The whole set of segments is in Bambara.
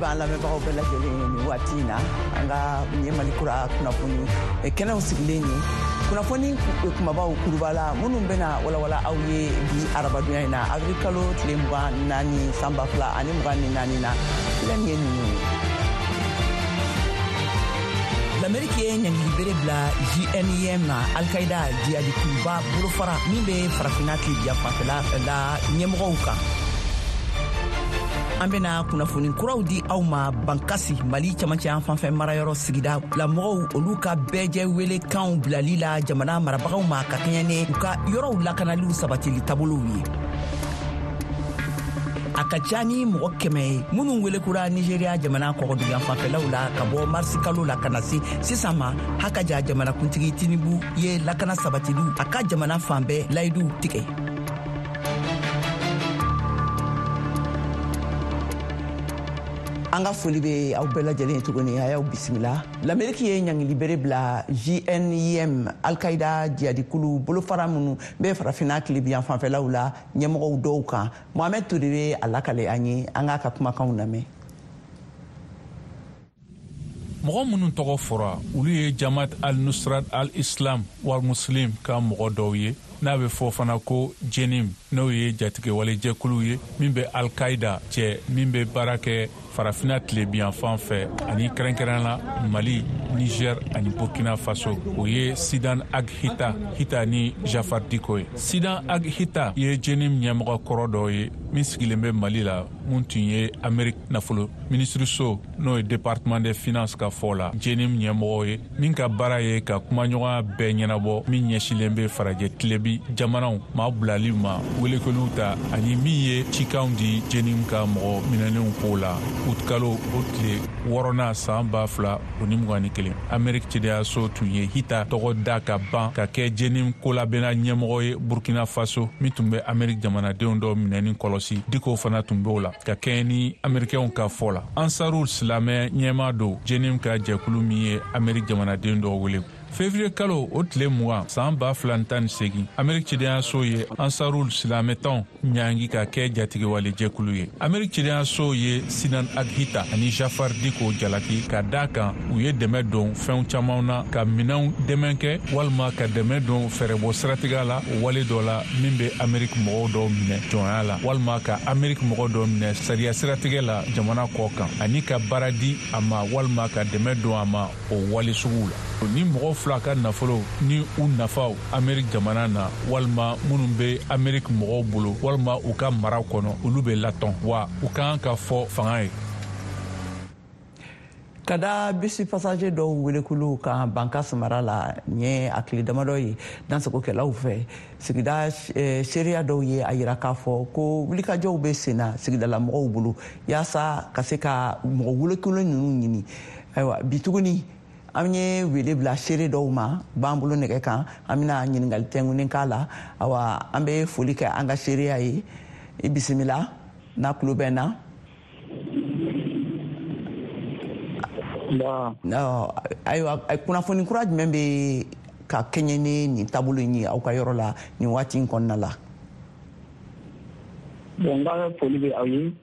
B'an lamɛnbagaw bɛɛ lajɛlen ye nin waati in na. An ka nin ye Mali Kura kunnafoni kɛnɛw sigilen ye, kunnafoni kumabaw kuruba la minnu bɛna walawala aw ye bi arabadonya in na, avril kalo tile 24 san 2024 na, filɛ nin ye ninnu ye. Lameriki ye ɲangili bere bila JNIM na, Alkaida jihadikuluba bolofara min bɛ Farafina tilebiya fanfɛla la ɲɛmɔgɔw kan. An bena kunnafoni kuraw di aw ma Bankasi, Mali camancɛ yan fanfɛ marayɔrɔ sigida la mɔgɔw, olu ka bɛɛjɛ welekanw bilali la jamana marabagaw ma ka kɛɲɛ ni u ka yɔrɔw lakanaliw sabatili taabolow ye. A ka ca ni mɔgɔ 100 ye minnu welekura Nigeria jamana kɔgɔduguyan fanfɛlaw la ka bɔ marisi kalo la ka na se sisan ma. Hakaja jamanakuntigi Tinubu ye lakana sabatiliw a ka jamana fan bɛɛ layiduw tigɛ. An ka foli bɛ aw bɛɛ lajɛlen ye tuguni, a y'aw bisimila. Lameriki ye ɲangili bere bila JNIM, Alkaida jihadikulu bolofara minnu bɛ Farafinna tilebiyan fanfɛlaw la ɲɛmɔgɔw dɔw kan. Mohamɛd Ture bɛ a lakale an ye, an k'a ka kumakanw lamɛn. Mɔgɔ minnu tɔgɔ fɔra, olu ye Jamaat al-Nusrat al-Islam wal Muslim ka mɔgɔ dɔw ye, n'a bɛ fɔ fana ko Jenim, n'o ye jatigɛwalejɛkulu ye min bɛ Al-Qaida cɛ, min bɛ baara kɛ Farafina tilebiyanfan fɛ ani kɛrɛnkɛrɛn la Mali, Niger ani Burkina Faso. O ye Sidan Ag Hita Hita ni Jafar Diko ye. Sidan Ag Hita ye Jenim ɲɛmɔgɔ kɔrɔ dɔ ye min sigilen bɛ Mali la, mun tun ye Amerique nafolo minisiriso, n'o ye Département des finances ka fɔ la, Jenim ɲɛmɔgɔ ye, min ka baara ye ka kumaɲɔgɔnya bɛɛ ɲɛnabɔ min ɲɛsilen bɛ farajɛ tilebi jamanaw maa bilali ma welekeliw ta, ani min ye cikanw di Jenim ka mɔgɔ minɛnenw ko la. Utikalo o tile 6nan san 2021, Ameriki cidenyaso tun ye Hita tɔgɔ da ka ban ka kɛ Jenim kolabɛnna ɲɛmɔgɔ ye Burkina Faso, min tun bɛ Ameriki jamanadenw dɔ minɛni kɔlɔsi. Diko fana tun b'o la ka kɛɲɛ ni Amerikɛnw ka fɔ la. Ansarul silamɛ ɲɛmaa don Jenim ka jɛkulu min ye Ameriki jamanaden dɔ wele. Fevrier kalo o tile 20 san 2018, Ameriki cidenyaso ye Ansarul silamɛtɔn ɲangi ka kɛ jatigɛwale jɛkulu ye. Ameriki cidenyaso ye Sinan Aghita ani Jafar Diko jalaki ka da kan u ye dɛmɛ don fɛnw caman na, ka minɛnw dɛmɛ kɛ walima ka dɛmɛ don fɛɛrɛbɔ siratigɛ la o wale dɔ la min bɛ Ameriki mɔgɔw dɔw minɛ jɔnya la, walima ka Ameriki mɔgɔ dɔ minɛ sariya siratigɛ la jamana kɔ kan, ani ka baara di a ma walima ka dɛmɛ don a ma o wale suguw la. Ni mɔgɔ fila ka nafolo ni u nafaw Ameriki jamana na, walima minnu bɛ Ameriki mɔgɔw bolo walima u ka mara kɔnɔ, olu bɛ latɔn wa u ka kan ka fɔ fanga ye. Ka da bisi passager dɔw welekuluw kan Bankas mara la, nin ye a tile damadɔ ye dansagokɛlaw fɛ. Sigida seereya dɔw ye a yira k'a fɔ ko wulikajɔw bɛ sen na sigidalamɔgɔw bolo yaasa ka se ka mɔgɔ welekulu ninnu ɲini. Ayiwa, bi tuguni an ye wele bila seere dɔw ma b'an bolo nɛgɛ kan, an bɛna ɲininkali tɛnkunnen k'a la. Awa, an bɛ foli kɛ an ka seereya ye. I bisimila n'a tulo bɛ n na. Ayiwa, kunnafoni kura jumɛn bɛ ka kɛɲɛ ni nin taabolo in ye aw ka yɔrɔ la nin waati in kɔnɔna la? Bon, n ka foli bɛ aw ye.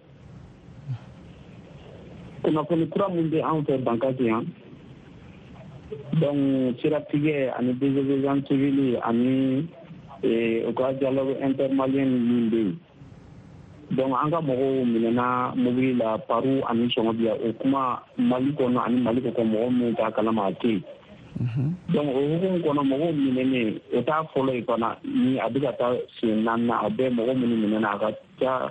Kunnafoni kura min bɛ anw fɛ Bankasi yan, donc siratigɛ ani désobéissance civile ani u ka dialogue intermalien min bɛ yen, donc an ka mɔgɔw minɛna mobili la Paru ani Sɔngɔbiya. O kuma Mali kɔnɔ ani Mali kɔkɔ, mɔgɔ minnu t'a kalama, a tɛ yen. Donc o hukumu kɔnɔ, mɔgɔw minɛnen, o t'a fɔlɔ ye fana, ni a bɛ ka taa sen naaninan. A bɛɛ mɔgɔ minnu minɛna, a ka ca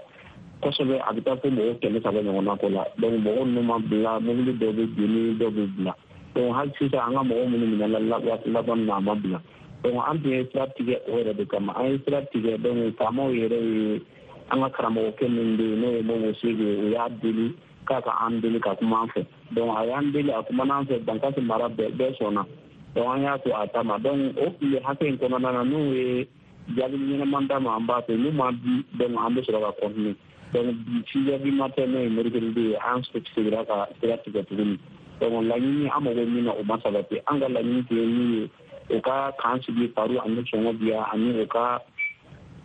kosɛbɛ, a bɛ taa fo mɔgɔ 300 ɲɔgɔnna ko la. Donc mɔgɔ ninnu ma bila, mobili dɔw bɛ jeni, dɔw bɛ bila. Donc hali sisan, an ka mɔgɔ minnu minɛna waati laban na, a ma bila. Donc an tun ye sira tigɛ o yɛrɛ de kama, an ye sira tigɛ. Donc faamaw yɛrɛ ye an ka karamɔgɔkɛ min bɛ yen, n'o ye Mobo Sege ye, o y'a deli k'a ka an deli ka kuma an fɛ. Donc a y'an deli, a kumana an fɛ, Bankasi mara bɛɛ bɛɛ sɔnna. Donc an y'a to a ta ma. Donc o tile hakɛ in kɔnɔna na, n'u ye jaabi ɲɛnama d'a ma, an b'a to. N'u ma di, donc an bɛ sɔrɔ ka continuer. Donc bi 6 heures du matin, n'o ye mercredi ye, an seginna ka sira tigɛ tuguni. Donc laɲini an mago min na, o ma sabati. An ka laɲini tun ye min ye, u ka camp sigi Paru ani Sɔngɔbiya ani u ka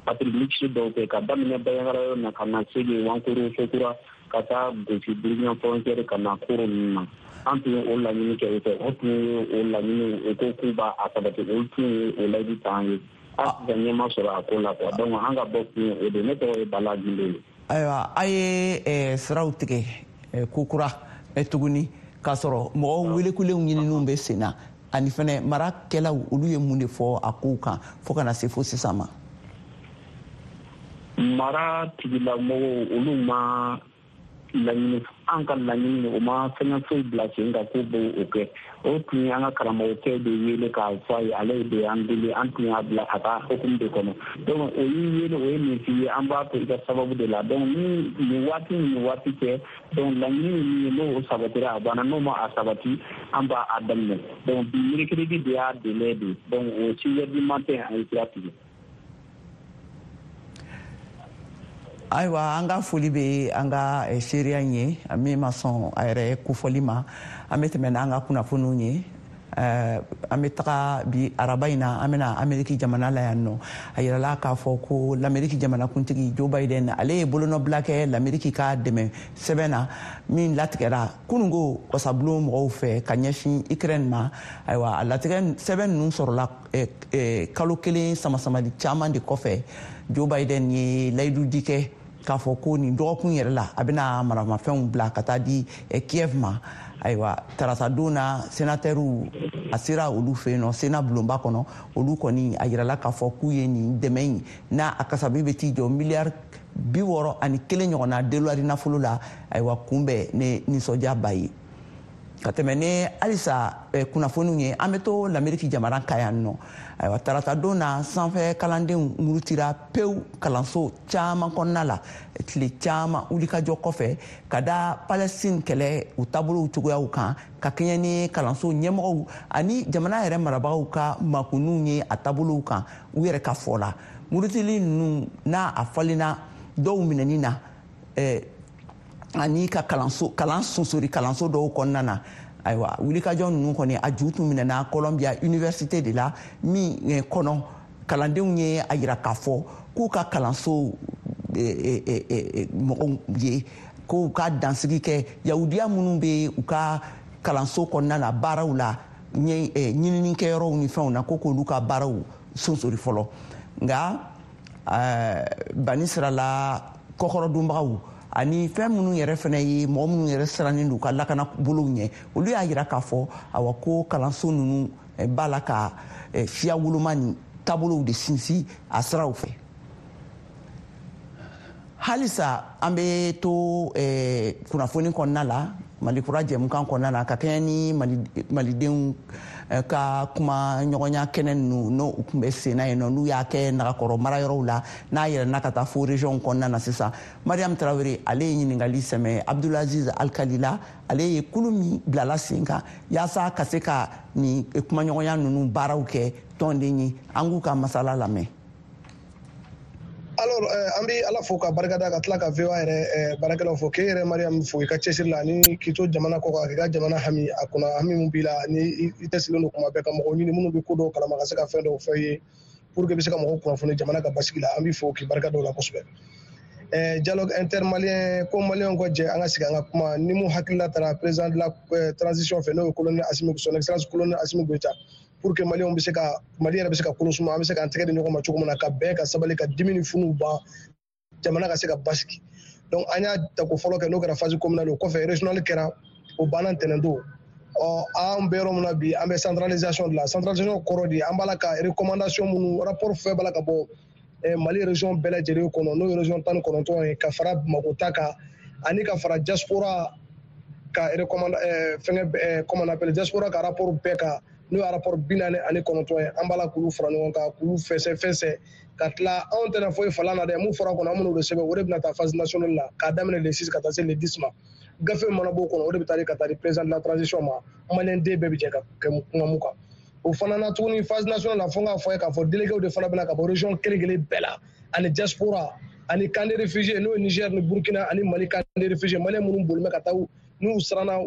patrouille mixte dɔw kɛ ka daminɛ Bandiagara yɔrɔ na ka na Sege, Wankoro, Sokura, ka taa gosi Burukina frontière ka na Koro ninnu na. An tun ye o laɲini kɛ u fɛ, o tun ye o laɲini, o ko k'u b'a sabati, olu tun ye o layidu ta an ye. Hali sisan ɲɛ ma sɔrɔ a ko la quoi. Donc an ka bɔ kun ye o de. Ne tɔgɔ ye Bala Gindo ye. Ayiwa, a ye siraw tigɛ kokura tuguni k'a sɔrɔ mɔgɔw welekulenw ɲininiw bɛ sen na, ani fɛnɛ marakɛlaw olu ye mun de fɔ a kow kan fo ka na se fo sisan ma? Mara tigilamɔgɔw olu ma laɲini, an ka laɲini o ma fɛngɛ foyi bila sen kan k'u b'o kɛ. O tun ye an ka karamɔgɔkɛ de wele k'a fɔ a ye, ale de y'an deli, an tun y'a bila a ka hukumu de kɔnɔ. Donc o y'i wele, o ye nin f'i ye, an b'a to i ka sababu de la. Donc ni nin waati ni nin waati cɛ, donc laɲini ye min ye, n'o sabatira a banna, n'o ma a sabati an b'a a daminɛ. Donc bi mercredi de y'a délai de, donc o 6 heures du matin an ye sira tigɛ. Ayiwa, an ka foli bɛ an ka seereya in ye min ma sɔn a yɛrɛ kofɔli ma. An bɛ tɛmɛ n'an ka kunnafoniw ye. An bɛ taga bi araba in na, an bɛna Ameriki jamana la yan nɔ. A yirala k'a fɔ ko l'Ameriki jamanakuntigi Joe Biden, ale ye bolonɔbila kɛ l'Ameriki ka dɛmɛ sɛbɛn na min latigɛra kununko wasabulon mɔgɔw fɛ ka ɲɛsin Ukraine ma. Ayiwa, a latigɛ sɛbɛn ninnu sɔrɔla kalo kelen samasamali caman de kɔfɛ. Joe Biden ye layidu di kɛ k'a fɔ ko nin dɔgɔkun yɛrɛ la a bɛna maramafɛnw bila ka taa di Kiev ma. Ayiwa, tarata don na sénatɛriw a sera olu fɛ yen nɔ Sénat bulonba kɔnɔ, olu kɔni a yirala k'a fɔ k'u ye nin dɛmɛ in n'a a kasabi bɛ t'i jɔ miliyari 61 ɲɔgɔnna dolari nafolo la. Ayiwa, kunbɛn ni nisɔndiyaba ye. Ka tɛmɛ ni halisa kunnafoniw ye, an bɛ to l'Ameriki jamana kan yan nɔ. Ayiwa, tarata don na sanfɛ kalandenw murutira pewu kalanso caman kɔnɔna la tile caman wulikajɔ kɔfɛ ka da Palestine kɛlɛ u taabolow cogoyaw kan, ka kɛɲɛ ni kalanso ɲɛmɔgɔw ani jamana yɛrɛ marabagaw ka makunniw ye a taabolow kan u yɛrɛ ka fɔ la. Murutili ninnu n'a a falenna dɔw minɛni na ani ka kalanso kalan sonsori kalanso dɔw kɔnɔna na. Ayiwa, wulikajɔ ninnu kɔni a ju tun minɛna Columbia Université de la min kɔnɔ kalandenw ye a yira k'a fɔ k'u ka kalanso mɔgɔw ye k'u ka dansigi kɛ yahudiya minnu bɛ u ka kalanso kɔnɔna na baaraw la ɲininikɛyɔrɔw ni fɛnw na, ko k'olu ka baaraw sonsori fɔlɔ. Nka bani sirala kɔkɔrɔdonbagaw ani fɛn minnu yɛrɛ fana ye mɔgɔ minnu yɛrɛ sirannen don u ka lakana bolow ɲɛ, olu y'a yira k'a fɔ awa ko kalanso ninnu b'a la ka siya woloma ni taabolow de sinsin a siraw fɛ. Halisa an bɛ to kunnafoni kɔnɔna la Mali kura jɛmukan kɔnɔna na ka kɛɲɛ ni malidenw ka kuma ɲɔgɔnya kɛnɛ ninnu n'o tun bɛ sen na yen nɔ, n'u y'a kɛ Nagakɔrɔ marayɔrɔw la n'a yɛlɛnna ka taa fo région kɔnɔna na sisan. Mariam Tarawele ale ye ɲininkali sɛmɛ Abdulaziz Alkalila, ale ye kulu min bilala sen kan yaasa ka se ka nin kumaɲɔgɔnya ninnu baaraw kɛ tɔnden ye. An k'u ka masala lamɛn. Alors an bɛ Ala fo ka barika da, ka tila ka VOA yɛrɛ baarakɛlaw fo, k'e yɛrɛ Mariam fo i ka cɛsiri la ani k'i to jamana kɔ kan k'i ka jamana hami a kunna, hami min b'i la ni i tɛsilen don kuma bɛɛ ka mɔgɔw ɲini minnu bɛ ko dɔw kalama ka se ka fɛn dɔw fɔ i ye pour que i bɛ se ka mɔgɔw kunnafoni jamana ka basigi la. An b'i fo k'i barika da o la kosɛbɛ. Dialogue intermalien ko maliyɛnw ka jɛ an ka sigi an ka kuma ni mun hakilila taara président de la transition fɛ, n'o ye colonel Assimi, son excellence colonel Assimi Goïta, pour que maliyɛnw bɛ se ka Mali yɛrɛ bɛ se ka kolo suma, an bɛ se k'an tɛgɛ di ɲɔgɔn ma cogo min na ka bɛn, ka sabali, ka dimi ni funuw ban, jamana ka se ka basigi. Donc an y'a tako fɔlɔ kɛ, n'o kɛra phase communale, o kɔfɛ régional kɛra, o banna ntɛnɛn don. Ɔ an bɛ yɔrɔ min na bi, an bɛ centralisation de la. Centralisation kɔrɔ de an b'a la ka recommandation minnu, rapport fɛn b'a la ka bɔ Mali région bɛɛ lajɛlen kɔnɔ, n'o ye région 19 ye, ka fara Bamakɔ ta kan ani ka fara diaspora ka recommande fɛngɛ, comment on appelle, diaspora ka rapport bɛɛ kan, n'o ye rapport 49 ye. An b'a la k'olu fara ɲɔgɔn kan, k'olu fɛsɛ fɛsɛ ka tila. Anw tɛna foyi falan na dɛ, mun fɔra kɔnɔ an bɛn'o de sɛbɛn, o de bɛna taa phase nationale la k'a daminɛ le 6 ka taa se le 10 ma. Gafe mana b'o kɔnɔ, o de bɛ taa di ka taa di président de la transition ma, maliyɛn den bɛɛ bɛ jɛ ka kɛ kuma mun kan. O fana na tuguni phase nationale la, fo n k'a fɔ ye k'a fɔ délégués de fana bɛna ka bɔ région kelen kelen bɛɛ la ani diaspora ani camp de réfugiés, n'o ye Niger ni Burkina ani Mali camp de réfugiés, maliyɛn minnu bolilen bɛ ka taa n'u siranna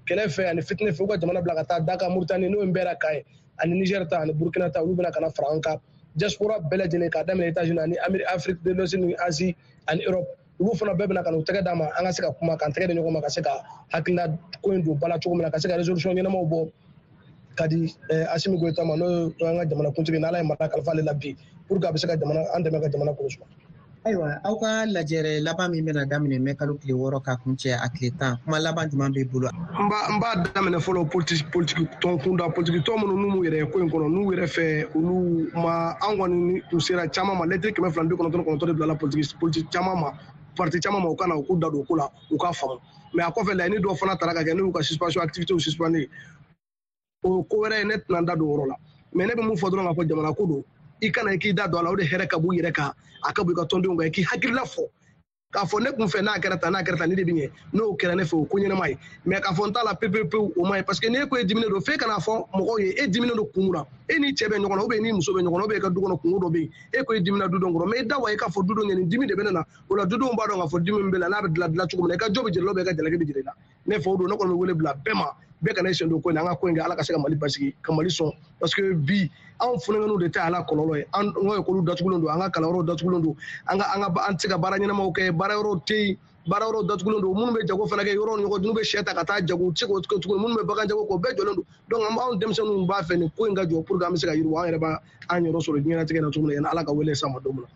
kɛlɛ fɛ ani fitinɛ fɛ, u ka jamana bila ka taa Daka Mauritanie, n'o ye Nbɛra kan ye, ani Niger ta ani Burkina ta, olu bɛna ka na fara an kan. Diaspora bɛɛ lajɛlen, k'a daminɛ États-Unis ani Afrique de l'Ouest ni Asie ani Europe, olu fana bɛɛ bɛna ka n'u tɛgɛ d'a ma, an ka se ka kuma, k'an tɛgɛ di ɲɔgɔn ma, ka se ka hakilina ko in don ba la cogo min na, ka se ka résolution ɲɛnamaw bɔ ka di Assimi Goïta ma, n'o ye an ka jamanakuntigi, n'Ala ye mara kalifa ale la bi, pour que a bɛ se ka jamana an dɛmɛ ka jamana kɔlɔsi. Ayiwa, aw ka lajɛrɛ laban min bɛna daminɛ mɛ kalo tile 6 ka kuncɛ a tile 10, kuma laban jumɛn b'i bolo? N b'a daminɛ fɔlɔ politiki tɔn kunda, politiki tɔn minnu n'u m'u yɛrɛ ye ko in kɔnɔ, n'u yɛrɛ fɛ olu ma, an kɔni kun sera caman ma, lɛtiri 299 de bilala politiki caman ma, parti caman ma, u ka na u k'u da don ko la, u k'a faamu. Mais a kɔfɛ, laɲini dɔw fana tara ka kɛ, n'u ka suspension, activité suspendre, o ko wɛrɛ ye, ne tɛna n da don o yɔrɔ la. Mais ne bɛ mun fɔ dɔrɔn, k'a fɔ jamana ko don, i kana i k'i da don a la, o de hɛrɛ ka b'u yɛrɛ kan, a ka bɔ i ka tɔndenw kan, i k'i hakilila fɔ k'a fɔ ne kun fɛ n'a kɛra tan, n'a kɛra tan, ne de bɛ ɲɛ, n'o kɛra ne fɛ, o ko ɲɛnama ye. Mais k'a fɔ n t'a la pewu pewu, o ma ye, parce que n'e ko e diminen don, f'e kana fɔ mɔgɔw ye e diminen don kun mun na. E ni cɛ bɛ ɲɔgɔn na, ou bien ni muso bɛ ɲɔgɔn na, ou bien i ka du kɔnɔ kungo dɔ bɛ yen, e ko e dimina dudenw kɔrɔ, mais i da wa i k'a fɔ dudenw ye nin dimi de bɛ ne na, o la dudenw b'a dɔn k'a fɔ dimi min bɛ la, n'a bɛ dilan dilan cogo min na, i ka jɔ bɛ jira la, ou bien i ka jalaki bɛ jira i la. Ne fɛ o don, ne kɔni bɛ wele bila bɛɛ ma, bɛɛ kana i sen don ko in na, an ka ko in kɛ, Ala ka se ka Mali basigi, ka Mali sɔn, parce que bi anw funankɛninw de ta ala kɔlɔlɔ ye. An ka ekɔliw datugulen don, an ka kalanyɔrɔw datugulen don, an ka an ka an tɛ se ka baara ɲɛnamaw kɛ, baara yɔrɔw tɛ yen, baara yɔrɔw datugulen don. Minnu bɛ jago fana kɛ, yɔrɔw ni ɲɔgɔn, n'u bɛ sɛ ta ka taa jago, u tɛ se k'o kɛ tuguni. Minnu bɛ bagan jago kɛ, o bɛɛ jɔlen don. Donc an b'anw denmisɛnninw b'a fɛ nin ko in ka jɔ, pour que an bɛ se ka yiriwa, an yɛrɛ b'a an yɔrɔ sɔrɔ diɲɛlatigɛ la cogo min na, yanni Ala ka wele s'an ma don min na.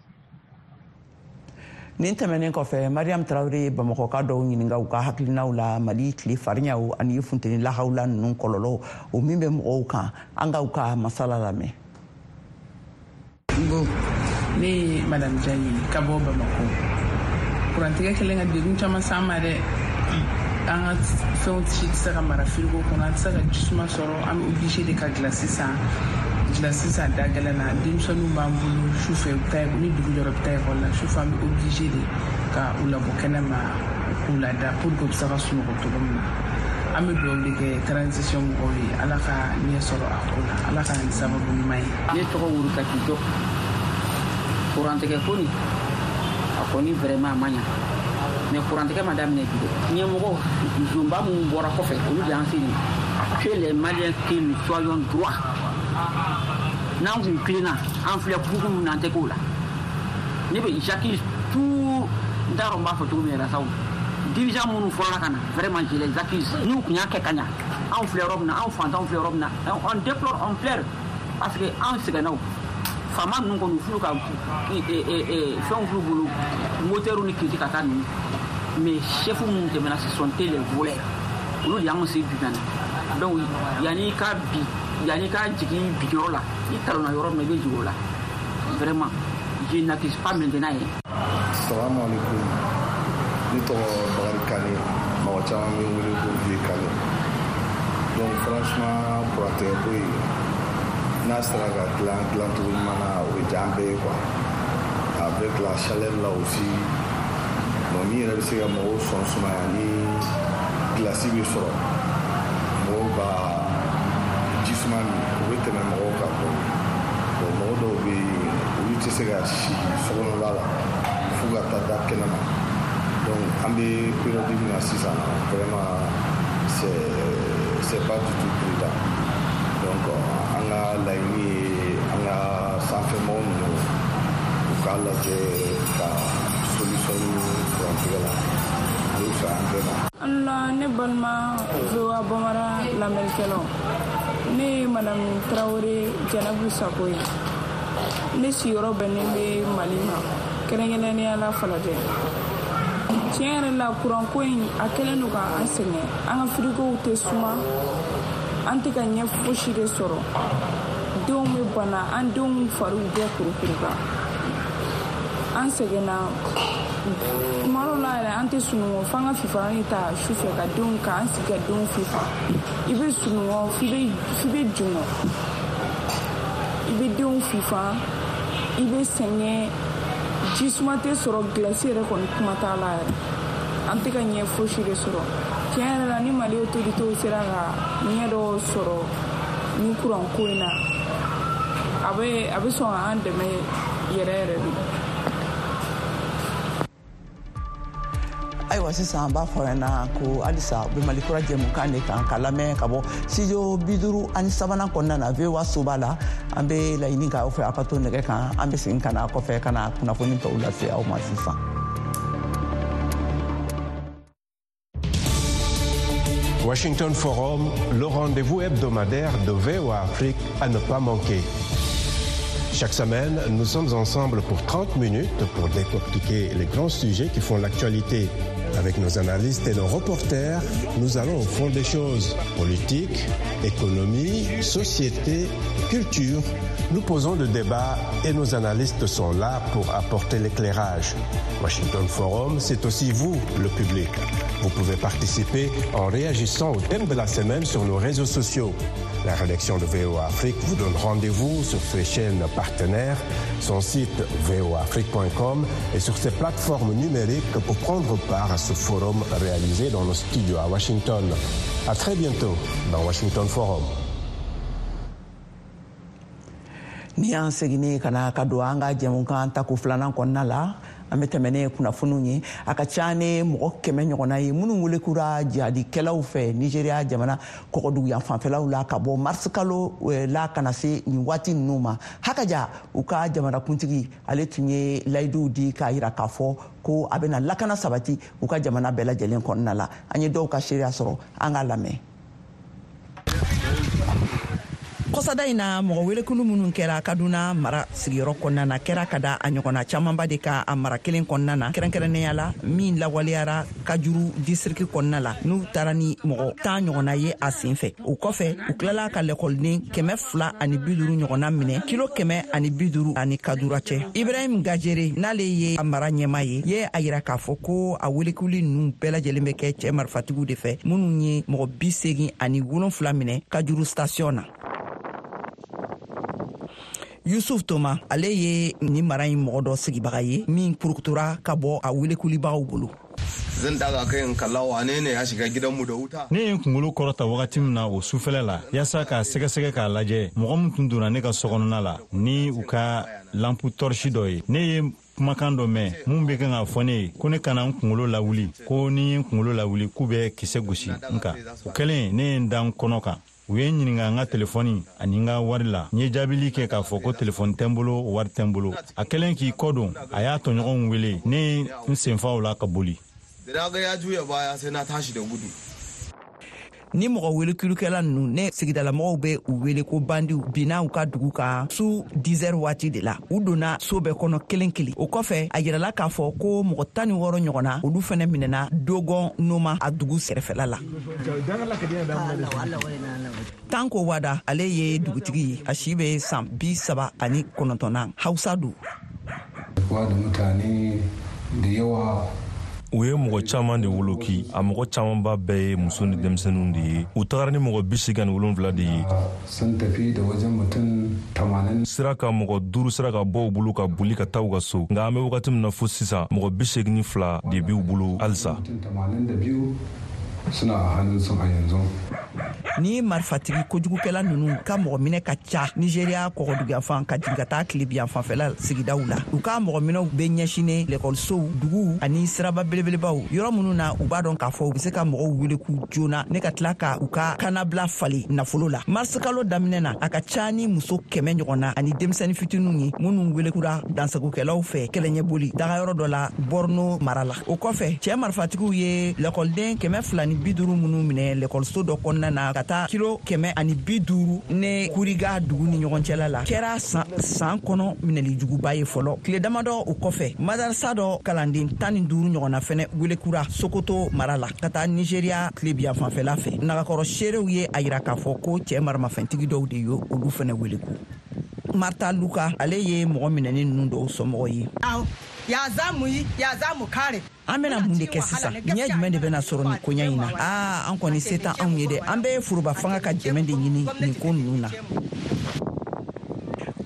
Nin tɛmɛnen kɔfɛ, Mariam Tarawele ye Bamakɔka dɔw ɲininka u ka hakilinaw la Mali tile fariɲaw ani funteni lahawula ninnu kɔlɔlɔw, o min bɛ mɔgɔw kan. An ka u ka masala lamɛn. Bon, ne ye Madame Diagne ka bɔ Bamakɔ. Kurantigɛ kɛlen ka degun caman s'an ma dɛ. An ka fɛnw si tɛ se ka mara firigo kɔnɔ, an tɛ se ka jisuma sɔrɔ, an bɛ obligé de ka gilasi san, gilasi san da gɛlɛn na. Denmisɛnninw b'an bolo, sufɛ u bɛ taa, ni dugu jɛra u bɛ taa ekɔli la, sufɛ an bɛ obligé de ka u labɔ kɛnɛ ma k'u lada pour que u bɛ se ka sunɔgɔ cogo min na. An bɛ dugawu de kɛ transition mɔgɔw ye, Ala ka ɲɛ sɔrɔ a ko la, Ala ka nin sababu ɲuman ye. Ne tɔgɔ Wurukati Jɔ. Kurantigɛ ko nin, a kɔni vraiment a ma ɲa, mais kurantigɛ ma daminɛ bi dɛ. Ɲɛmɔgɔ zonba minnu bɔra kɔfɛ, olu de y'an se nin. Que les Maliens, que nous soyons droits. N'an kun tilenna, an filɛ bugu min na, an tɛ k'o la. Ne bɛ, j'accuse tout, n t'a dɔn n b'a fɔ cogo min yɛrɛ sa, o dirigeant minnu fɔlɔla ka na, vraiment je les accuse. N'u kun y'a kɛ ka ɲa, anw filɛ yɔrɔ min na, anw fantanw filɛ yɔrɔ min na, on déplore, on pleure, parce que anw sɛgɛnna. O faama ninnu kɔni, u f'u ka fɛnw f'u bolo, moteur ni kiriti ka taa ninnu. Mais chef minnu tɛmɛna, ce sont les voleurs, olu de y'anw se bi na. Donc yanni ka bi, yanni ka jigin bi yɔrɔ la, i talonna yɔrɔ min na, i bɛ jigin o la. Vraiment, je n'accuse pas maintenant ye. Salamu alaikum. Ne tɔgɔ Bakari Kane, mɔgɔ caman bɛ n wele ko Vieux Kane. Donc franchement, kurantigɛ ko in, n'a sera ka dilan dilancogo ɲuman na, o bɛ diya an bɛɛ ye quoi. Avec la chaleur là aussi, bon, min yɛrɛ bɛ se ka mɔgɔw sɔn sumaya, ni gilasi bɛ sɔrɔ, mɔgɔw ka ji suma min, o bɛ tɛmɛ mɔgɔw kan dɔɔnin. Bon, mɔgɔ dɔw bɛ yen, olu tɛ se ka sigi sokɔnɔla la f'u ka taa da kɛnɛ ma. Donc an bɛ période min na sisan, vraiment c'est pas du tout prudent. Donc an ka laɲini ye, an ka sanfɛmɔgɔ ninnu, u k'a lajɛ ka solution ɲini kurantigɛ la, o bɛ fisaya an bɛɛ ma. La ne balima VOA Bambara lamɛnnikɛlaw, ne ye Madame Tarawele Jɛnɛbu Sako ye. Ne sigiyɔrɔ bɛnnen bɛ Mali ma, kɛrɛnkɛrɛnnenya la Falajɛ. Tiɲɛ yɛrɛ la, kuranko in a kɛlen don ka an sɛgɛn. An ka firigow tɛ suma, an tɛ ka ɲɛ fosi de sɔrɔ. Denw bɛ bana, an denw fariw bɛɛ kurukuru kan, an sɛgɛnna. Tuma dɔw la yɛrɛ, an tɛ sunɔgɔ f'an ka fifalan ta su fɛ ka denw ka an sigi ka denw fifa. I bɛ sunɔgɔ f'i bɛ jɔngɔ, i bɛ denw fifa, i bɛ sɛgɛn, ji suma tɛ sɔrɔ, gilasi yɛrɛ kɔni kuma t'a la yɛrɛ. An tɛ ka ɲɛ fosi de sɔrɔ. Tiɲɛ yɛrɛ la, ni Mali autorités sera ka ɲɛ dɔ sɔrɔ ni kuran ko in na, a bɛ sɔn ka an dɛmɛ yɛrɛ yɛrɛ de. Ayiwa, sisan an b'a fɔ ɲɛna ko halisa u bɛ Mali Kura jɛmukan de kan ka lamɛn ka bɔ studio 53nan kɔnɔna na, VOA soba la. An bɛ laɲini k'aw fɛ, aw ka to nɛgɛ kan. An bɛ segin ka na kɔfɛ ka na kunnafoni tɔw lase aw ma sisan. Washington Forum, le rendez-vous hebdomadaire de VOA Afrique à ne pas manquer. Chaque semaine, nous sommes ensemble pour 30 minutes pour décortiquer les grands sujets qui font l'actualité. Avec nos analystes et nos reporters, nous allons au fond des choses. Politique, économie, société, culture. Nous posons le débat et nos analystes sont là pour apporter l'éclairage. Washington Forum, c'est aussi vous, le public. Vous pouvez participer en réagissant au thème de la semaine sur nos réseaux sociaux. La rédaction de VOA Afrique vous donne rendez-vous sur ses chaînes partenaires, son site voaafrique.com et sur ses plateformes numériques pour prendre part à ce forum réalisé dans nos studios à Washington. À très bientôt dans Washington Forum. Ni y'an seginni ka na ka don an ka jɛmukan tako filanan kɔnɔna la, an bɛ tɛmɛ ne kunnafoniw ye. A ka ca ni mɔgɔ 100 ɲɔgɔnna ye minnu welekura jihadikɛlaw fɛ Nigeriya jamana kɔgɔduguyan fanfɛlaw la ka bɔ marisikalo la ka na se nin waati ninnu ma. Hakaja, u ka jamanakuntigi, ale tun ye layiduw di k'a yira k'a fɔ ko a bɛna lakana sabati u ka jamana bɛɛ lajɛlen kɔnɔna la. An ye dɔw ka seereya sɔrɔ, an k'a lamɛn. Kɔsada in na, mɔgɔ welekulu minnu kɛra Kaduna mara sigiyɔrɔ kɔnɔna na kɛra ka da a ɲɔgɔnna camanba de ka a mara kelen kɔnɔna na, kɛrɛnkɛrɛnnenya la min lawaleyara Kajuru disiriki kɔnɔna la, n'u taara ni mɔgɔ 10 ɲɔgɔnna ye a sen fɛ. O kɔfɛ, u tilala ka lɛkɔliden 250 ɲɔgɔnna minɛ kilo 150 ani Kadura cɛ. Ibrahim Gajere, n'ale ye a mara ɲɛma ye a yira k'a fɔ ko a welekuli ninnu bɛɛ lajɛlen bɛ kɛ cɛɛ marifatigiw de fɛ, minnu ye mɔgɔ 87 minɛ Kajuru station na. Yusuf Toma, ale ye nin mara in mɔgɔ dɔ sigibaga ye min purukutura ka bɔ a welekulibagaw bolo. Zan daga kai in kalla wane ne ya shiga gidanmu da wuta. Ne ye n kunkolo kɔrɔta wagati min na o sufɛlɛ la, yaasa k'a sɛgɛsɛgɛ k'a lajɛ mɔgɔ min tun donna ne ka sokɔnɔna la ni u ka lampu tɔrisi dɔ ye, ne ye kumakan dɔ mɛn mun bɛ kan k'a fɔ ne ye ko ne kana n kunkolo lawuli, ko ni n ye kunkolo lawuli k'u bɛ kisɛ gosi n kan. O kɛlen, ne ye n da n kɔnɔ kan. U ye n ɲininka n ka telefɔni ani n ka wari la. N ye jaabili kɛ k'a fɔ ko telefɔni tɛ n bolo, wari tɛ n bolo. A kɛlen k'i kɔ don, a y'a tɔɲɔgɔnw wele. Ne ye n senfaw la ka boli. Ni mɔgɔ welekilikɛla ninnu ne sigidalamɔgɔw bɛ u wele ko bandiw, binna u ka dugu kan su 10 waati de la. U donna so bɛɛ kɔnɔ kelen kelen. O kɔfɛ, a yirala k'a fɔ ko mɔgɔ 16 ɲɔgɔnna, olu fɛnɛ minɛna Dogon Noma, a dugu sɛrɛfɛla la. Tanko Wada, ale ye dugutigi ye, a si bɛ san 39 na, Hausa don. U ye mɔgɔ caman de woloki. A mɔgɔ camanba bɛɛ ye muso ni denmisɛnninw de ye. U tagara ni mɔgɔ 87 de ye. Sira ka mɔgɔ 5 sera ka bɔ u bolo ka boli ka taa u ka so, nka an bɛ wagati min na fo sisan, mɔgɔ 82 de b'u bolo halisa. Ni marifatigi kojugukɛla ninnu ka mɔgɔ minɛ ka ca Nigeriya kɔgɔduguyanfan ka jigin ka taa tilebiyanfanfɛla sigidaw la. U ka mɔgɔ minɛw bɛ ɲɛsinnen lɛkɔlisow, duguw ani siraba belebelebaw, yɔrɔ minnu na u b'a dɔn k'a fɔ u bɛ se ka mɔgɔw wele k'u joona ne ka tila ka u ka kannabila falen nafolo la. Marisikalo daminɛ na, a ka ca ni muso 100 ɲɔgɔn na ani denmisɛnnin fitininw ye minnu welekura dansagokɛlaw fɛ kɛlɛɲɛboli dagayɔrɔ dɔ la Borno mara la. O kɔfɛ, cɛɛ marifatigiw ye lɛkɔliden 250 minnu minɛ lɛkɔliso dɔ kɔnɔna na ka taa kilo 150 ne Kuriga dugu ni ɲɔgɔn cɛla la, kɛra san kɔnɔ minɛli juguba ye fɔlɔ. Tile damadɔ o kɔfɛ, madarasa dɔ kalanden 15 ɲɔgɔnna fɛnɛ welekura Sokoto mara la ka taa Nigeriya tilebiyan fanfɛla fɛ. Nagakɔrɔ seerew ye a yira k'a fɔ ko cɛɛ maramafɛntigi dɔw de ye olu fɛnɛ weleku. Marta Luka, ale ye mɔgɔ minɛni ninnu dɔw somɔgɔ ye. An bɛna mun de kɛ sisan? Ɲɛ jumɛn de bɛna sɔrɔ nin koɲa in na? Aa, an kɔni se t'an anw ye dɛ. An bɛ foroba fanga ka dɛmɛ de ɲini nin ko ninnu na.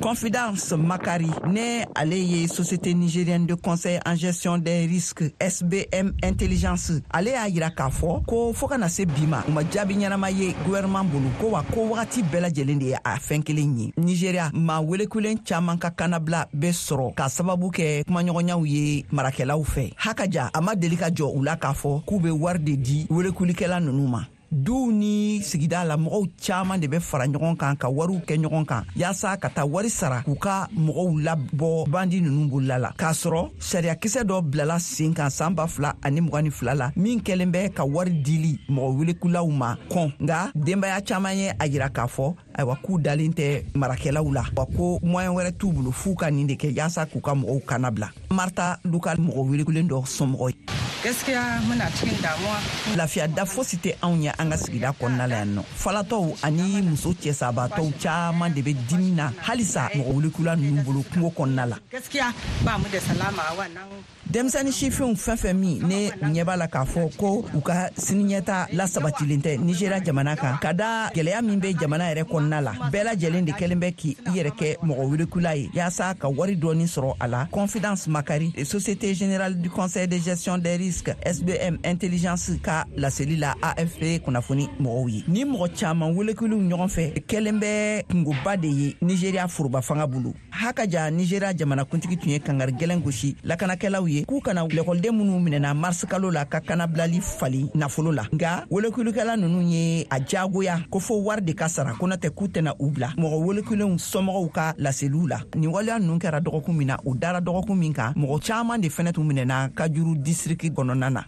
Confidence Makari, ne ale ye Société nigérienne de conseil en gestion des risques SBM Intelligence, ale y'a yira k'a fɔ ko fɔɔ ka na se bi ma, u ma jaabi ɲɛnama ye gouvernement bolo, ko wa ko wagati bɛɛ lajɛlen de ye a fɛn kelen ye. Nigeria maa welekulen caaman ka kannabila bɛ sɔrɔ k'a sababu kɛ kumaɲɔgɔnyaw ye marakɛlaw fɛ. Hakaja a ma deli ka jɔ u la k'a fɔ k'u bɛ wari de di welekulikɛla ninnu ma. Duw ni sigida la mɔgɔw caaman de bɛ fara ɲɔgɔn kan ka wariw kɛ ɲɔgɔn kan yaasa ka taa wari sara k'u ka mɔgɔw labɔ bandi ninnu bolola la, k'a sɔrɔ sariyakisɛ dɔ bilala sen kan san 2022 la min kɛlen bɛ ka wari dili mɔgɔ welekulaw ma kɔn. Nka denbaya caaman ye a yira k'a fɔ ayiwa k'u dalen tɛ marakɛlaw la, wa ko moyen wɛrɛ t'u bolo f'u ka nin de kɛ yaasa k'u ka mɔgɔw kannabila. Marta Luka mɔgɔ welekulen dɔ somɔgɔ ye. Gaskiya muna cikin damuwa. Lafiya da fosi tɛ anw ye an ka sigida kɔnɔna la yan nɔ. Falatɔw ani muso cɛsabatɔw caaman de bɛ dimi na halisa mɔgɔ welekula ninnu bolo kungo kɔnɔna la. Gaskiya ba mu da salama wannan. Denmisɛnnin sifinw fɛn fɛn min ne u ɲɛ b'a la k'a fɔ ko u ka siniɲɛta lasabatilen tɛ Nigéria jamana kan, ka da gɛlɛya min bɛ jamana yɛrɛ kɔnɔna la, bɛɛ lajɛlen de kɛlen bɛ k'i yɛrɛ kɛ mɔgɔ welekula ye yaasa ka wari dɔɔni sɔrɔ a la. Confidence Makari, Société Générale du Conseil de Gestion des Risques SBM Intelligence ka laseli la AFP kunnafoni mɔgɔw ye. Ni mɔgɔ caman welekuliw ɲɔgɔn fɛ kɛlen bɛ kungoba de ye Nigéria foroba fanga bolo. Hakaja Nigéria jamanakuntigi tun ye kangari gɛlɛn gosi lakanakɛlaw ye k'u kana lɛkɔliden minnu minɛna mars kalo la ka kanabilali fali nafolo la. Nka welekulikɛla ninnu ye a jagoya ko fo wari de ka sara, ko n'o tɛ k'u tɛna u bila. Mɔgɔ welekulenw somɔgɔw ka laseliw la, nin waleya ninnu kɛra dɔgɔkun min na, u dara dɔgɔkun min kan, mɔgɔ caman de fɛnɛ tun minɛna Kajuru district kɔnɔna na.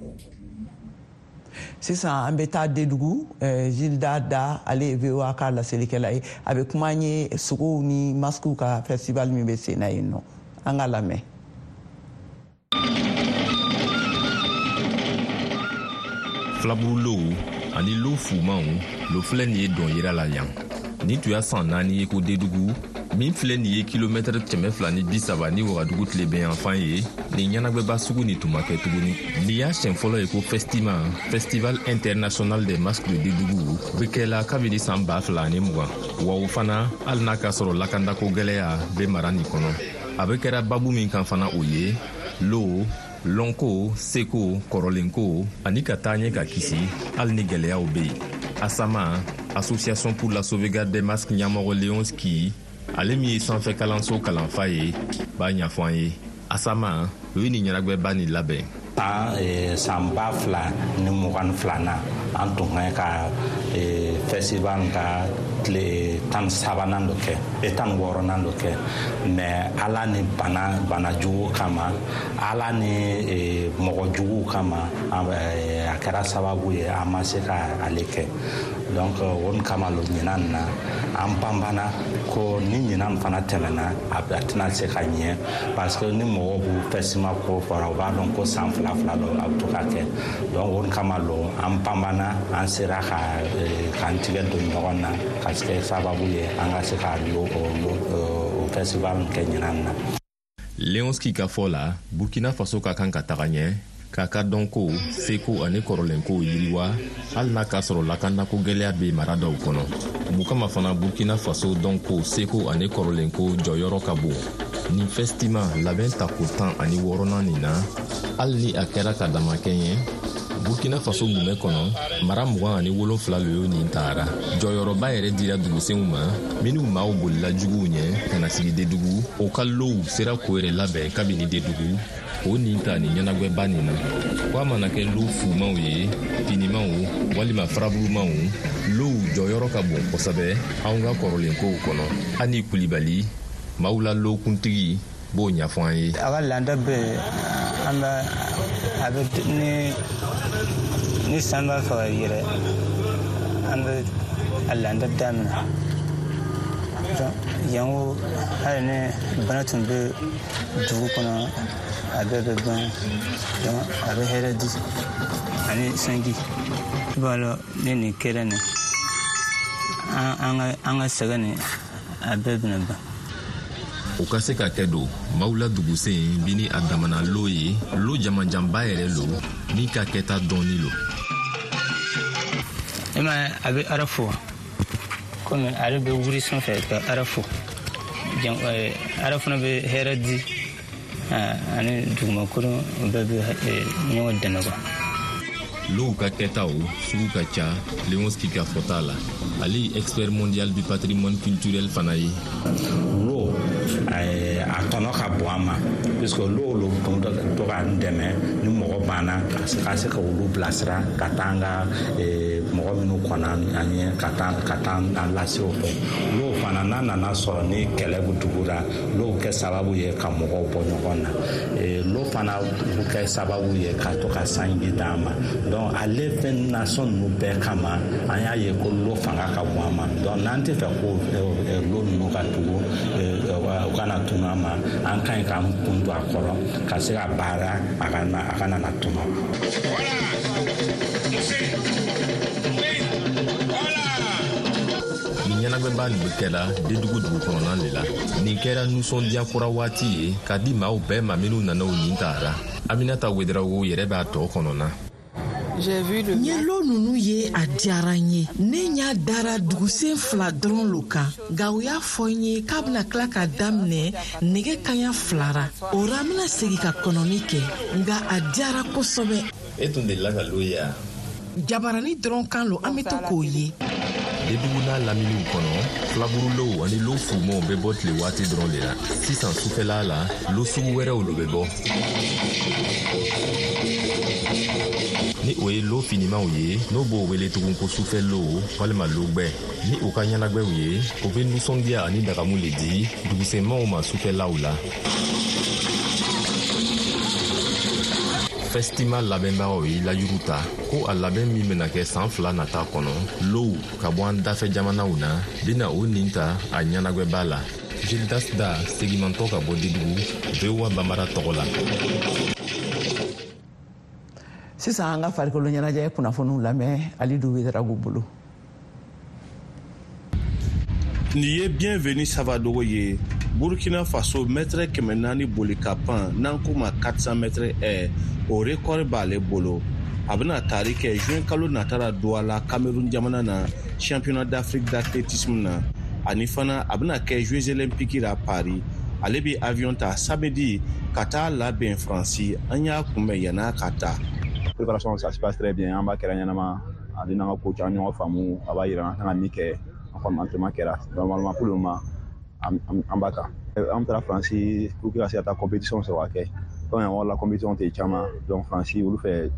Sisan an bɛ taa Dedugu, Gilda Da, ale ye VOA ka laselikɛla ye, a bɛ kuma an ye sogow ni masques ka festival min bɛ sen na yen nɔ. An ka lamɛn. Filaburulow ani lo fumanw lo filɛ nin ye dɔn yira la yan. Nin tun y'a san 4 ye ko Dedugu min filɛ nin ye kilomɛtɛrɛ 230 ni Wagadugu tilebinyanfan ye, nin ɲɛnagwɛba sugu nin tun ma kɛ tuguni. Nin y'a siɲɛ fɔlɔ ye ko Festima, Festival International des Masques de Dedugu, bɛ kɛla kabini san 2020. Wa o fana, hali n'a k'a sɔrɔ lakandako gwɛlɛya bɛ mara nin kɔnɔ. A bɛ kɛra babu min kan fana o ye lo, lɔnko, seko, kɔrɔlenko ani ka taa ɲɛ ka kisi hali ni gwɛlɛyaw bɛ yen. Asama, Association pour la sauvegarde des masques ɲɛmɔgɔ Leonski, ale min ye sanfɛ kalanso kalanfa ye, b'a ɲɛfɔ an ye. Asama, o ye nin ɲɛnagwɛba nin labɛn. San 2022 an tun ka ka festival ka tile 13nan dɔ kɛ, 16nan dɔ kɛ, mais Ala ni bana jugu kama, Ala ni mɔgɔ juguw kama, a kɛra sababu ye an ma se ka ale kɛ. Donc o kama lo ɲinan na an banbana ko ni ɲinan fana tɛmɛna a tɛna se ka ɲɛ, parce que ni mɔgɔw b'u festival ko fɔra, u b'a dɔn ko san fila fila dɔ a bɛ to ka kɛ. Donc o kama lo an banbana, an sera ka k'an tigɛ don ɲɔgɔn na ka kɛ sababu ye an ka se ka o festival kɛ ɲinan na. Leonski ka fɔ la, Burkina Faso ka kan ka taga ɲɛ k'a ka dɔnko, seko ani kɔrɔlenkow yiriwa, hali n'a k'a sɔrɔ lakanako gwɛlɛya bɛ mara dɔw kɔnɔ. Mun kama fana Burkina Faso dɔnko, seko ani kɔrɔlenko jɔyɔrɔ ka bon. Nin Festima labɛn tako 16nan nin na, hali ni a kɛra ka damakɛɲɛ, Burkina Faso mumɛ kɔnɔ, mara 27 lo y'o nin taara. Jɔyɔrɔba yɛrɛ dira dugusenw ma, minnu maaw bolila juguw ɲɛ ka na sigi Dedugu, o ka low sera k'o yɛrɛ labɛn kabini Dedugu, o nin ta nin ɲɛnagwɛba nin na. Ko a mana kɛ lo fumanw ye, finimanw walima faraburumanw, low jɔyɔrɔ ka bon kosɛbɛ anw ka kɔrɔlenkow kɔnɔ. Ani Kulibali, maaw la lokuntigi b'o ɲɛfɔ an ye. A ka laada bɛ an bɛ a bɛ ni san b'a fɛ ka yɛrɛ, an bɛ a laada daminɛ. Yan ko hali ni bana tun bɛ dugu kɔnɔ, a bɛɛ bɛ ban. Donc a bɛ hɛrɛ di ani sanji. I b'a dɔn ni nin kɛra nin, an ka sɛgɛn nin, a bɛɛ bɛna ban. O ka se ka kɛ don maaw la dugusen bi ni a damana lo ye, lo jamanjanba yɛrɛ lo min ka kɛta dɔɔni lo. E ma ye, a bɛ ara fo komi ale bɛ wuri sanfɛ ka ara fo. Ala fana bɛ hɛrɛ di ani dugumakolo bɛɛ bɛ ɲɔgɔn dɛmɛ quoi. Low ka kɛtaw sugu ka ca Leonski ka fɔta la. Ale ye expert mondial du patrimoine culturel fana ye. Lo a tɔnɔ ka bon an ma puisque lo lo to k'an dɛmɛ ni mɔgɔ banna ka se ka olu bilasira ka taa an ka mɔgɔ minnu kɔnna an ɲɛ ka taa an lase o fɛ. Lo fana n'a nana sɔrɔ ni kɛlɛ bɛ dugu la, lo kɛ sababu ye ka mɔgɔw bɔ ɲɔgɔn na. Lo fana bɛ kɛ sababu ye ka to ka sanji d'an ma. Donc ale fɛn nasɔn ninnu bɛɛ kama an y'a ye ko lo fanga ka bon an ma. Donc n'an tɛ fɛ ko lo ninnu ka tugu u kana tunu an ma, an ka ɲi k'an kun don a kɔrɔ ka se ka baara a kana na tunu. Nin ɲɛnagwɛba nin bɛ kɛla Dedugu dugu kɔnɔna de la. Nin kɛra nisɔndiya kura waati ye k'a di maaw bɛɛ ma minnu nana u nin taara. Aminata Wedarawogo yɛrɛ b'a tɔ kɔnɔna. N ye lo ninnu ye, a diyara n ye. Ne ɲa dara dugusen 2 dɔrɔn lo kan, nka u y'a fɔ n ye k'a bɛna tila ka daminɛ nɛgɛ kaɲa 2 ra. O ra n bɛna segin ka kɔnɔni kɛ, nka a diyara kosɛbɛ. E tun delila ka lo ye wa? Jabarani dɔrɔn kan lo, an bɛ to k'o ye. Dedugu n'a laminiw kɔnɔ, filaburulow ani lo fumaw bɛ bɔ tile waati dɔrɔn de la. Sisan sufɛla la, lo sugu wɛrɛw lo bɛ bɔ. Ni o ye lo finimaw ye, n'o b'o wele tugun ko sufɛ lo walima logbɛ. Ni o ka ɲɛnagwɛw ye, o bɛ nisɔndiya ani dagamu le di dugusenmaw ma sufɛlaw la. Festima labɛnbagaw ye layiru ta ko a labɛn min bɛna kɛ san 2 nata kɔnɔ, low ka bɔ an dafɛ jamanaw na bɛna o nin ta a ɲɛnagwɛba la. Gildas Da segimantɔ ka bɔ Dedugu, VOA Bambara tɔgɔ la. Sisan an ka farikolo ɲɛnajɛ kunnafoniw lamɛn Alidu Wedarago bolo. Nin ye Bienvenu Savadogo ye, Burkina Faso mètre 400 boli ka pan n'an k'o ma 400 mètres haies, o record b'ale bolo. A bɛna tari kɛ juin kalo nata la Douala, Cameroun jamana na, championnat d'Afrique d'athlétisme na. Ani fana a bɛna kɛ Jeux olympiques la Paris. Ale bɛ avion ta samedi ka taa labɛn Faransi. An y'a kunbɛn yann'a ka taa. Préparation, ça se passe très bien. An b'a kɛra ɲɛnama. Ale n'an ka coach an ɲɔgɔn faamu, a b'a yira an kan ka min kɛ. An kɔni entraînement kɛra. Normalement pour le moment an b'a kan. An taara Faransi pour que ka se ka taa compétition sɔrɔ ka kɛ. Comme yan yɔrɔ la compétition tɛ caman. Donc Faransi olu fɛ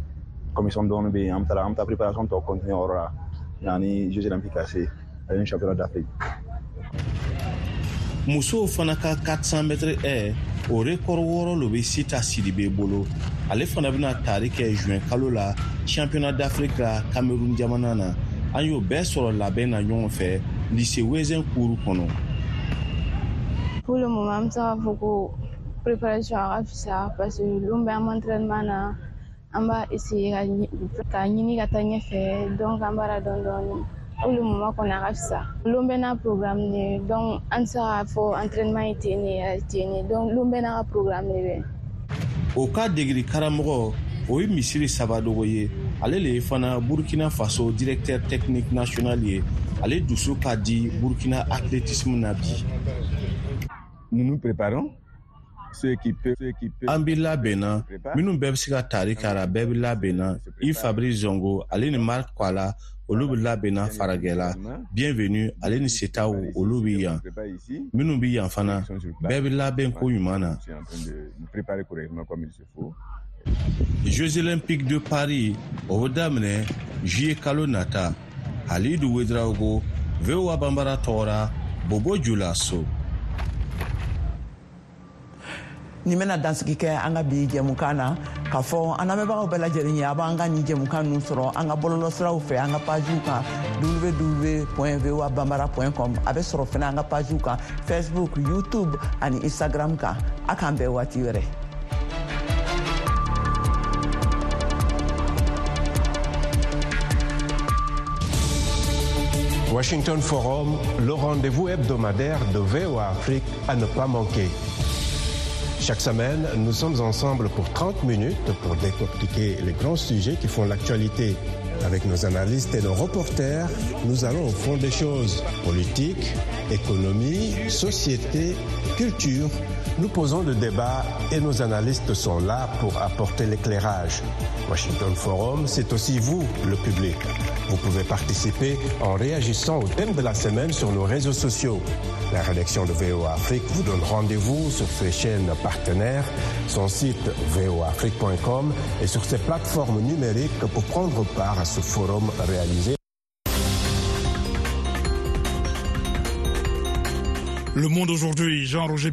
commission dɔɔni bɛ yen. An taara an bɛ taa préparation tɔ continuer o yɔrɔ la. Yanni Jeux olympiques ka se ani championnat d'Afrique. Musow fana ka 400 mètres haies, o record 6 lo bɛ Sita Sidibe bolo. Ale fana bɛna tari kɛ juin kalo la championnat d'Afrique la Cameroun jamana na. An y'o bɛɛ sɔrɔ labɛn na ɲɔgɔn fɛ lycée Wezin kuru kɔnɔ. Pour le moment, an bɛ se k'a fɔ ko préparation a ka fisa parce que lon bɛɛ an bɛ entraînement na, an b'a essayer ka ɲini ka taa ɲɛfɛ, donc an b'a la dɔɔni dɔɔni. Pour le moment kɔni a ka fisa. Lon bɛɛ n'a programme de ye, donc an tɛ se k'a fɔ entraînement ye ten de ten de, donc lon bɛɛ n'a ka programme de bɛ. O ka degeli karamɔgɔ o ye Misiri Savadogo ye. Ale le ye fana Burkina Faso directeur technique national ye. Ale dusu ka di Burkina athlétisme na bi. Nous nous préparons. An bɛ labɛn na, minnu bɛɛ bɛ se ka tari k'a la, bɛɛ bɛ labɛn na. Yves Fabrice Zongo ale ni Marc Kwala olu bɛ labɛn na faragɛla. Bienvenu ale ni Setaw olu bɛ yan. Minnu bɛ yan fana, bɛɛ bɛ labɛn ko ɲuman na. Jeux olympiques de Paris o bɛ daminɛ juillet kalo nata. Halidu Wedraogo, VOA Bambara tɔgɔ la, Bobo Julaso. Nin bɛna dansigi kɛ an ka bi jɛmukan na, k'a fɔ an lamɛnbagaw bɛɛ lajɛlen ye, a b'an ka nin jɛmukan ninnu sɔrɔ an ka bɔlɔlɔsiraw fɛ, an ka pagew kan www.voabambara.com. A bɛ sɔrɔ fana an ka pagew kan Facebook, YouTube ani Instagram kan. A k'an bɛn waati wɛrɛ. Washington Forum, le rendez-vous hebdomadaire de VOA Afrique à ne pas manquer. Chaque semaine, nous sommes ensemble pour 30 minutes pour décortiquer les grands sujets qui font l'actualité. Avec nos analystes et nos reporters, nous allons au fond des choses. Politique, économie, société, culture. Nous posons le débat et nos analystes sont là pour apporter l'éclairage. Washington Forum, c'est aussi vous, le public. Vous pouvez participer en réagissant au thème de la semaine sur nos réseaux sociaux. La rédaction de VOA Afrique vous donne rendez-vous sur ses chaînes partenaires, son site voaafrique.com et sur ses plateformes numériques pour prendre part à ce forum réalisé. Le Monde aujourd'hui, Jean-Roger